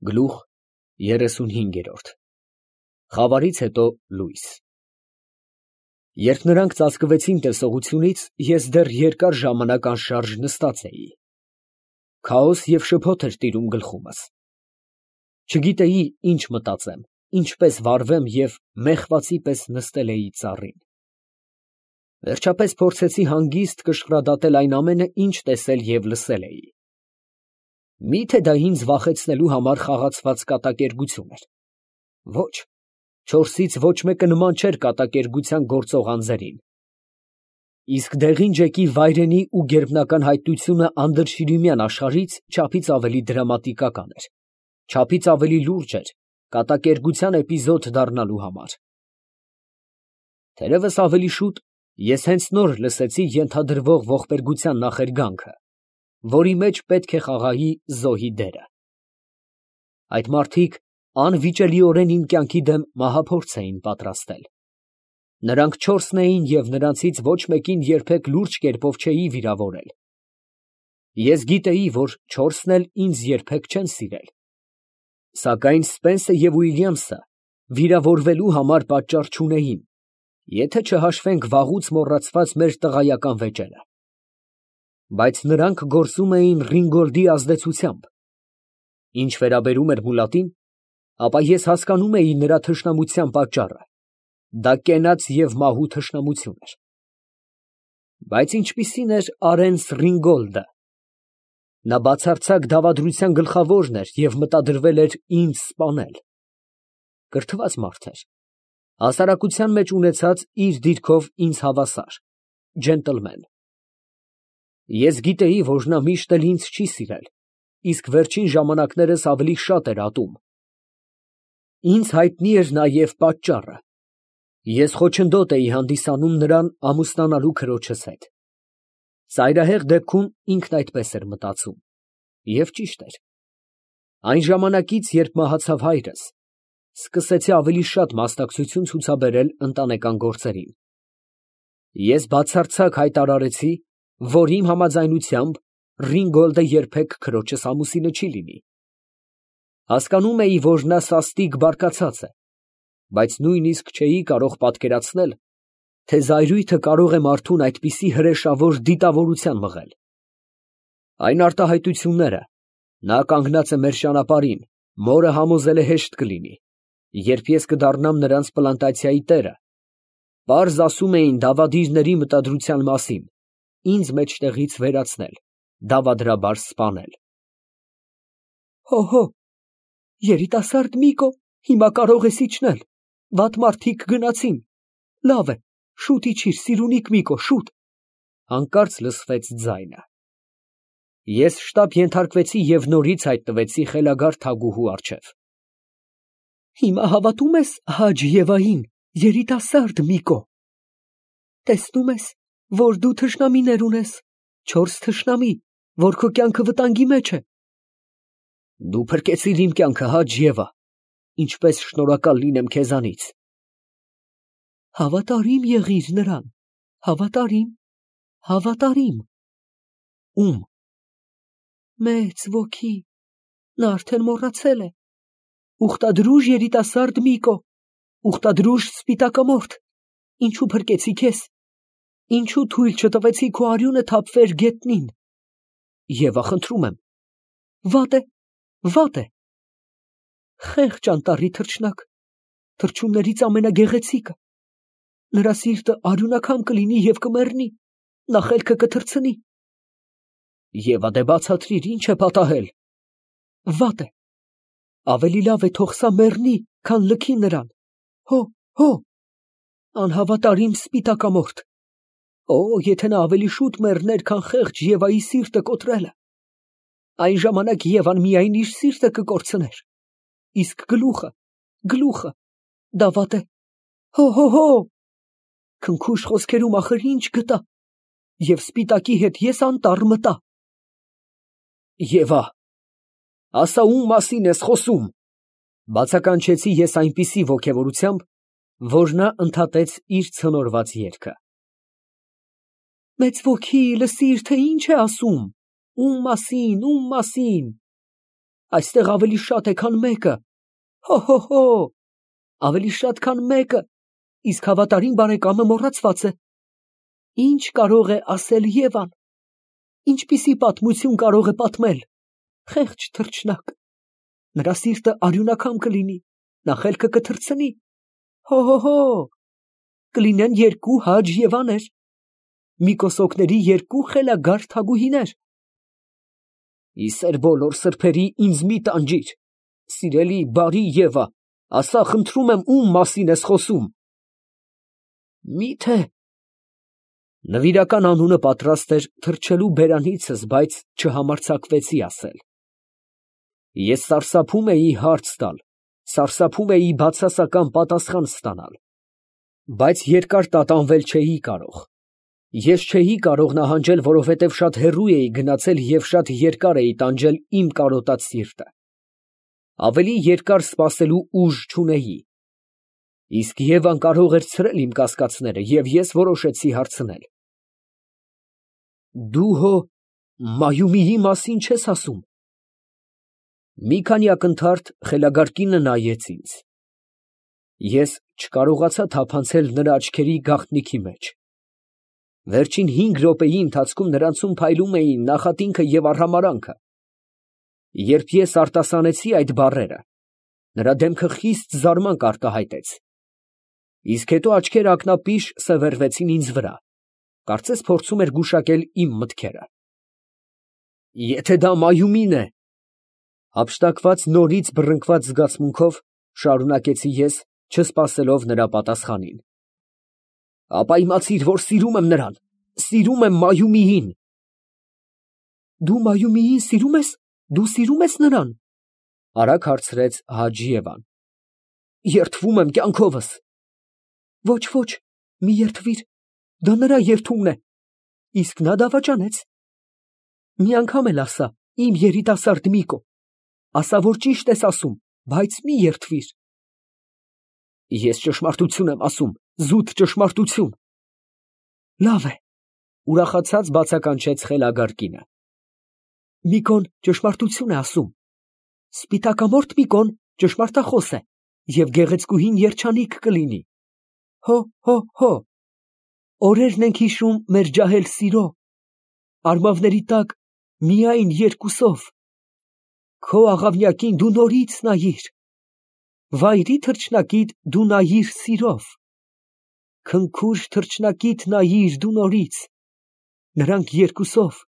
Գլուխ 35 Խավարից հետո լույս։ Երբ նրանք ծածկվեցին տեսողությունից, ես դեռ երկար ժամանակ անշարժ նստած էի։ Քաոս և շփոթ էր տիրում գլխումս։ Չգիտեի ինչ մտածեմ, ինչպես վարվեմ և մեղվածի պես նստել էի ծառին։ Վերջապես փորձեցի հանգիստ կշռադատել այն ամենը, ինչ տեսել և լսել էի։ Մի՞թե դա ինձ վախեցնելու համար խաղացված կատակերգություն էր։ Ոչ, չորսից ոչ մեկը նման չէր կատակերգության գործող անձերին։ Իսկ Դեղին֊ջեկի վայրենի ու գերբնական հայտնությունը անդրշիրիմյան աշխարհից չափից ավելի դրամատիկական էր, չափից ավելի լուրջ էր կատակերգության էպիզոդ դառնալու համար։ Թերևս ավելի շուտ ես հենց նոր լսեցի ենթադրվող ողբերգության նախերգանքը, որի մեջ պետք է խաղայի զոհի դերը։ Այդ մարդիկ անվիճելիորեն իմ կյանքի դեմ մահափորձ էին պատրաստել։ Նրանք չորսն էին և նրանցից ոչ մեկին երբեք լուրջ կերպով չէի վիրավորել։ Ես գիտեի, որ չորսն էլ ինձ երբեք չեն սիրել։ Սակայն Սպենսը և Ուիլյամսը վիրավորվելու համար պատճառ չունեին, եթե չհաշվենք վաղուց մոռացված մեր տղայական վեճերը։ Բայց նրանք գործում էին Ռինգոլդի ազդեցությամբ։ Ինչ վերաբերում էր մուլատին, ապա ես հասկանում էի նրա թշնամության պատճառը. դա կենաց և մահու թշնամություն էր։ Բայց ինչպիսի՞ն էր Արենս Ռինգոլդը։ Նա բացարձակ դավադրության գլխավորն էր և մտադրվել էր ինձ սպանել։ Կրթված մարդ էր, հասարակության մեջ ունեցած իր դիրքով ինձ հավասար, ջենտլմեն։ Ես գիտեի, որ նա միշտ էլ ինձ չի սիրել, իսկ վերջին ժամանակներս ավելի շատ էր ատում։ Ինձ հայտնի էր նաև պատճառը. ես խոչընդոտ էի հանդիսանում նրան ամուսնանալու քրոջս հետ։ Ծայրահեղ դեպքում ինքն այդպես էր մտածում, և ճիշտ էր։ Այն ժամանակից, երբ մահացավ հայրս, սկսեցի ավելի շատ մասնակցություն ցուցաբերել ընտանեկան գործերին։ Ես բացարձակ հայտարարեցի, որ իմ համաձայնությամբ Ռինգոլդը երբեք քրոջս ամուսինը չի լինի։ Հասկանում էի, որ նա սաստիկ բարկացած է, բայց նույնիսկ չէի կարող պատկերացնել, թե զայրույթը կարող է մարդուն այդպիսի հրեշավոր դիտավորության մղել։ Այն արտահայտությունները, նա կանգնած է մեր ճանապարհին, մորը համոզել է հեշտ կլինի, երբ ես կդառնամ նրանց պլանտացիայի տերը, պարզ ասում էին դավադիրների մտադրության մասին, ինձ մեջտեղից վերացնել, դավադրաբար սպանել։ Հո, երիտասարդ Միկո, հիմա կարող ես իջնել, վատ մարդիկ գնացին, լավ է, շուտ իջիր, սիրունիկ Միկո, շուտ։ Հանկարծ լսվեց ձայնը։ Ես շտապ ենթարկվեցի և նորից հայտնվեցի խելագար թագուհու առջև։ Հիմա հավատում ես Հաջ֊Եվային, երիտասարդ Միկո։ Տեսնում ես, որ դու թշնամիներ ունես, չորս թշնամի, որ քո կյանքը վտանգի մեջ է։ Դու փրկեցիր իմ կյանքը, Հաջ֊Եվա, ինչպես շնորհակալ լինեմ քեզանից։ Հավատարիմ եղիր նրան, հավատարիմ։ Ում։ Մեծ ոգի, նա արդեն մոռացել է։ Ուխտադրուժ երիտասարդ Միկո, ուխտադրուժ սպիտակամորթ, ինչու փրկեցի քեզ, ինչու թույլ չտվեցի քո արյունը թափվեր գետնին։ Եվա, խնդրում եմ, վատ է։ Խեղճ անտառի թռչնակ, թռչուններից ամենագեղեցիկը, նրա սիրտը արյունակամ կլինի և կմեռնի, նա խելքը կթռցնի։ Եվա, դե բացատրիր, ինչ է պատահել։ Վատ է, ավելի լավ է թող սա մեռնի, քան լքի նրան։ Հո, անհավատարիմ սպիտակամորթ։ Եթե նա ավելի շուտ մեռներ, քան խեղճ Եվայի սիրտը կոտրելը, այն ժամանակ Եվան միայն իր սիրտը կկորցներ, իսկ գլուխը, դա վատ է։ Հո, քնքուշ խոսքերում ախր ինչ գտա, և սպիտակի հետ ես անտառ մտա։ Եվա, ասա ում մասին ես խոսում, բացականչեցի ես այնպիսի ոգևորությամբ, որ նա ընդհատեց իր ցնորված երգը։ Մեծ ոգի, լսիր, թե ինչ է ասում, ում մասին։ Այստեղ ավելի շատ է, քան մեկը։ Հո, ավելի շատ, քան մեկը, իսկ հավատարիմ բարեկամը մոռացված է։ Ինչ կարող է ասել Եվան։ Ինչպիսի պատմություն կարող է պատմել։ Խեղճ թռչնակ։ Նրա սիրտը արյունակամ կլինի, նա խելքը կթռցնի։ Հո, կլինեն երկու Հաջ Եվաներ, մի կոսոկների երկու խելագար թագուհիներ։ Իսեր բոլոր սրբերի ինձ մի տանջիր, սիրելի բարի Եվա, ասա խնդրում եմ ում մասին ես խոսում։ Միթե… Նվիրական անունը պատրաստ էր թռչելու բերանիցս, բայց չհամարձակվեցի ասել։ Ես սարսափում էի հարց տալ, սարսափում էի բացասական պատասխան ստանալ, բայց երկար տատանվել չէի կարող։ Ես չէի կարող նահանջել, որովհետև շատ հեռու էի գնացել և շատ երկար էի տանջել իմ կարոտած սիրտը։ Ավելի երկար սպասելու ուժ չունեի։ Իսկ Եվան կարող էր ցրել իմ կասկածները, և ես որոշեցի հարցնել. Դու հո Մայումիի մասին չես ասում։ Մի քանի ակնթարթ խելագար կինը նայեց ինձ։ Ես չկարողացա թափանցել նրա աչքերի գաղտնիքի մեջ։ Վերջին 5 րոպեի ընթացքում նրանցում փայլում էին նախատինքը և արհամարանքը։ Երբ ես արտասանեցի այդ բառերը, նրա դեմքը խիստ զարմանք արտահայտեց, իսկ հետո աչքերը ակնապիշ սևեռվեցին ինձ վրա, կարծես փորձում էր գուշակել իմ մտքերը։ Եթե դա Մայումին է, հափշտակված նորից բռնկված զգացմունքով շարունակեցի ես, չսպասելով նրա պատասխանին, ապա իմացիր, որ սիրում եմ նրան, սիրում եմ Մայումիին։ Դու Մայումիին սիրում ես, դու սիրում ես նրան, արագ հարցրեց Հաջ Եվան։ Երդվում եմ կյանքովս։ Ոչ, մի երդվիր, դա նրա երդումն է, իսկ նա դավաճանեց։ Մի անգամ էլ ասա, իմ երիտասարդ Միկո, ասա, որ ճիշտ ես ասում, բայց մի երդվիր։ Ես ճշմարտություն եմ ասում, զուտ ճշմարտություն։ Լավ է, ուրախացած բացականչեց խելագար կինը։ Միկոն ճշմարտություն է ասում։ Սպիտակամորթ Միկոն ճշմարտախոս է, և գեղեցկուհին երջանիկ կլինի։ Հո, օրերն ենք հիշում մեր ջահել սիրո, արմավների տակ միայն երկուսով։ Քո աղավնյակին դու նորից նայիր, վայրի թռչնակիդ դու նայիր սիրով, քնքուշ թռչնակիդ նայիր դու նորից, նրանք երկուսով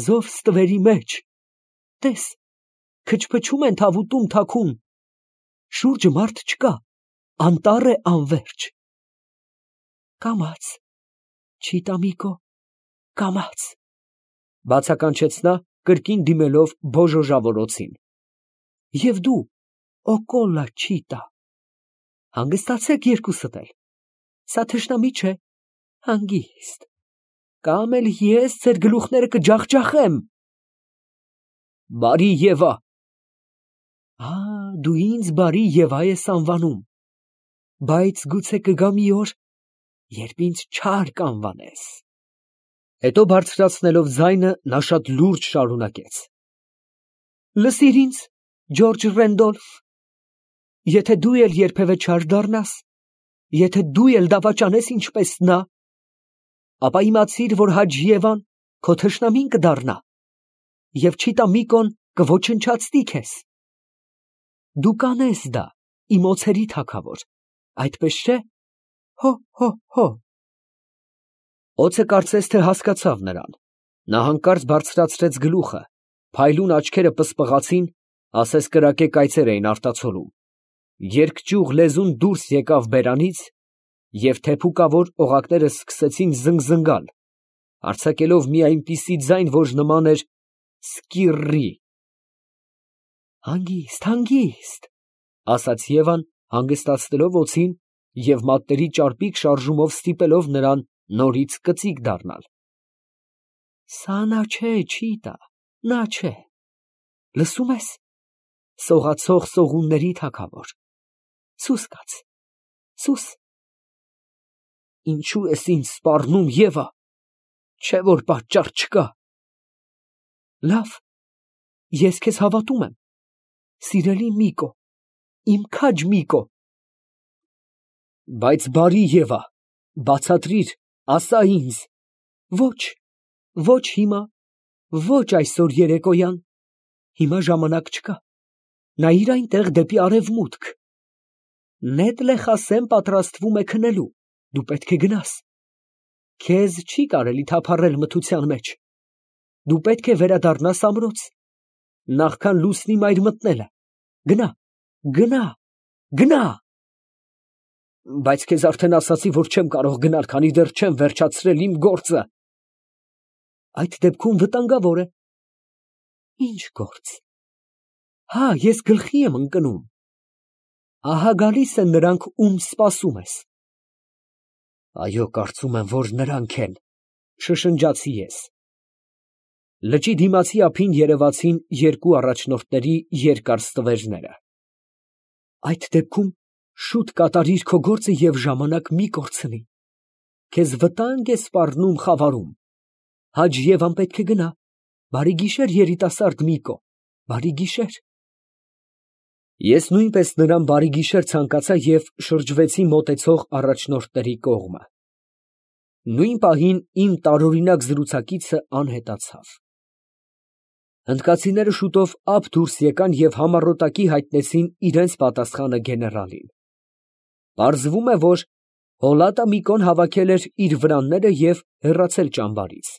զով ստվերի մեջ, տես, քչփչում են թավուտում թաքուն, շուրջը մարդ չկա, անտառ է անվերջ։ Կամաց, Չիտա Միկո, կամաց, բացականչեց նա, կրկին դիմելով բոժոժավորոցին։ Եվ դու, օկոլա Չիտա, հանգստացեք երկուսդ էլ, սա թշնամի չէ, հանգիստ, կամ էլ ես ձեր գլուխները կջախջախեմ։ Բարի Եվա։ Դու ինձ բարի Եվա ես անվանում, բայց գուցե կգա մի օր, երբ ինձ չար կանվանես։ Հետո բարձրացնելով ձայնը, նա շատ լուրջ շարունակեց. Լսիր ինձ, Ջորջ Ռենդոլֆ, եթե դու էլ երբևէ չար դառնաս, եթե դու էլ դավաճանես ինչպես նա, ապա իմացիր, որ Հաջ Եվան քո թշնամին կդառնա, և Չիտա Միկոն կոչնչացնի քեզ։ Դու կանես դա, իմ օձերի թագավոր, այդպես չէ։ Հո։ Օձը կարծես թե հասկացավ նրան, նա հանկարծ բարձրացրեց գլուխը, փայլուն աչքերը պսպղացին, ասես կրակե կայծեր էին արտացոլում, երկճյուղ լեզուն դուրս եկավ բերանից, և թեփուկավոր օղակները սկսեցին զնգզնգալ, արձակելով մի այնպիսի ձայն, որ նման էր սկիռի։ Հանգիստ, ասաց Եվան, հանգստացնելով օձին և մատների ճարպիկ շարժումով ստիպելով նրան նորից կծիկ դառնալ։ Սա նա չէ, Չիտա, նա չէ, լսում ես, սողացող սողունների թագավոր, սուս կաց, սուս։ Ինչու ես ինձ սպառնում, Եվա, չէ որ պատճառ չկա։ Լավ, ես քեզ հավատում եմ, Սիրելի Միկո, իմ քաջ Միկո։ Բայց բարի Եվա, բացատրիր, ասա ինձ։ Ոչ, ոչ հիմա, ոչ այսօր երեկոյան, հիմա ժամանակ չկա, նայիր այնտեղ դեպի արևմուտք։ Նետ Լեխասեն պատրաստվում է քնելու, դու պետք է գնաս։ Քեզ չի կարելի թափառել մթության մեջ, դու պետք է վերադառնաս ամրոց, նախքան լուսնի մայր մտնելը, գնա, գնա, գնա։ Բայց քեզ արդեն ասացի, որ չեմ կարող գնալ, քանի դեռ չեմ վերջացրել իմ գործը։ Այդ դեպքում վտանգավոր է։ Ինչ գործ։ Հա, ես գլխի եմ ընկնում։ Ահա գալիս են նրանք, ում սպասում ես։ Այո, կարծում եմ, որ նրանք են, շշնջացի ես։ Լճի դիմացի ափին երևացին երկու առաջնորդների երկար ստվերները։ Այդ դեպքում շուտ կատարիր քո գործը և ժամանակ մի կորցնի։ Քեզ վտանգ է սպառնում խավարում։ Հաջ Եվան պետք է գնա։ Բարի գիշեր, երիտասարդ Միկո, բարի գիշեր։ Ես նույնպես նրան բարի գիշեր ցանկացա և շրջվեցի մոտեցող առաջնորդների կողմը։ Նույն պահին իմ տարօրինակ զրուցակիցը անհետացավ։ Հնդկացիները շուտով ափ դուրս եկան և համառոտակի հայտնեցին իրենց պատասխանը գեներալին։ Պարզվում է, որ Հոլատա Միկոն հավաքել էր իր վրանները և հեռացել ճամբարից։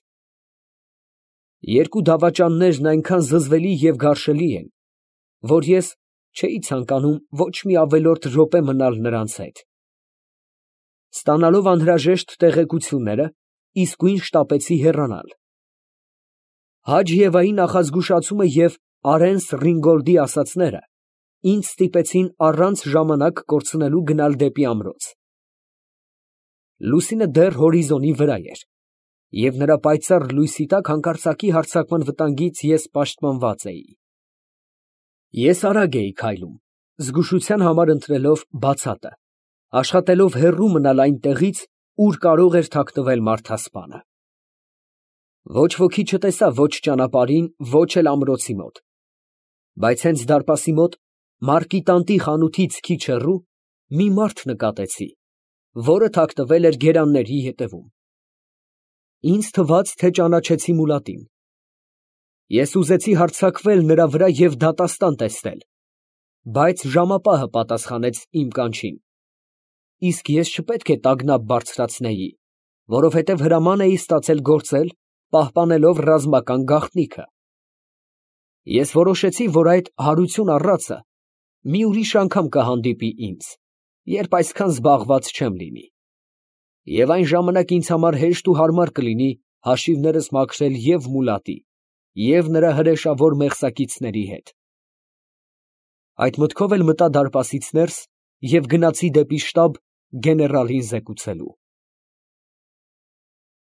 Երկու դավաճաններն այնքան զզվելի և գարշելի են, որ ես չէի ցանկանում ոչ մի ավելորդ րոպե մնալ նրանց հետ։ Ստանալով անհրաժեշտ տեղեկությունները, իսկույն շտապեցի հեռանալ։ Հաջ Եվայի նախազգուշացումը և Արենս Ռինգոլդի ասածները ինձ ստիպեցին առանց ժամանակ կորցնելու գնալ դեպի ամրոց։ Լուսինը դեռ հորիզոնի վրա էր, և նրա պայծառ լույսի տակ հանկարծակի հարձակման վտանգից ես պաշտպանված էի։ Ես արագ էի քայլում, զգուշության համար ընտրելով բացատը, աշխատելով հեռու մնալ այն տեղից, ուր կարող էր թաքնվել մարդասպանը։ Ոչ ոքի չտեսա ոչ ճանապարհին, ոչ էլ ամրոցի մոտ, բայց հենց դարպասի մոտ, մարկիտանտի խանութից քիչ հեռու, մի մարդ նկատեցի, որը թաքնվել էր գերանների ետևում։ Ինձ թվաց, թե ճանաչեցի մուլատին։ Ես ուզեցի հարձակվել նրա վրա և դատաստան տեսնել, բայց ժամապահը պատասխանեց իմ կանչին, իսկ ես չպետք է տագնապ բարձրացնեի, որովհետև հրաման էի ստացել գործել, պահպանելով ռազմական գաղտնիքը։ Ես որոշեցի, որ այդ հարություն առածը մի ուրիշ անգամ կհանդիպի ինձ, երբ այսքան զբաղված չեմ լինի, և այն ժամանակ ինձ համար հեշտ ու հարմար կլինի հաշիվներս մաքրել և մուլատի, և նրա հրեշավոր մեղսակիցների հետ։ Այդ մտքով էլ մտա դարպասից ներս և գնացի դեպի շտաբ գեներալին զեկուցելու։